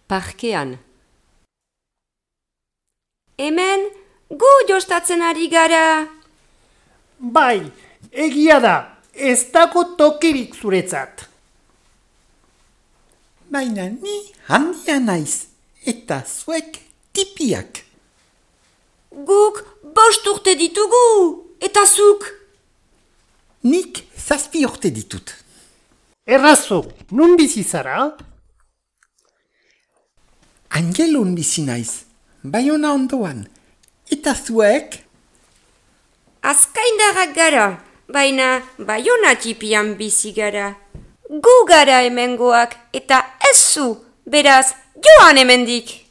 parkean. Hemen, gu jostatzen ari gara. Bai, egia da, ez dago tokirik zuretzat. Baina ni handia naiz, eta zuek tipiak. Guk 5 urte ditugu, eta zuk. Nik 7 urte ditut. Errazo, nun bizi zara? Angelun bizi naiz, Baiona ondoan, eta zuek? Azkaindarrak gara, baina Baiona tipian bizi gara. Gu gara hemengoak, eta ez zu, beraz, joan hemendik.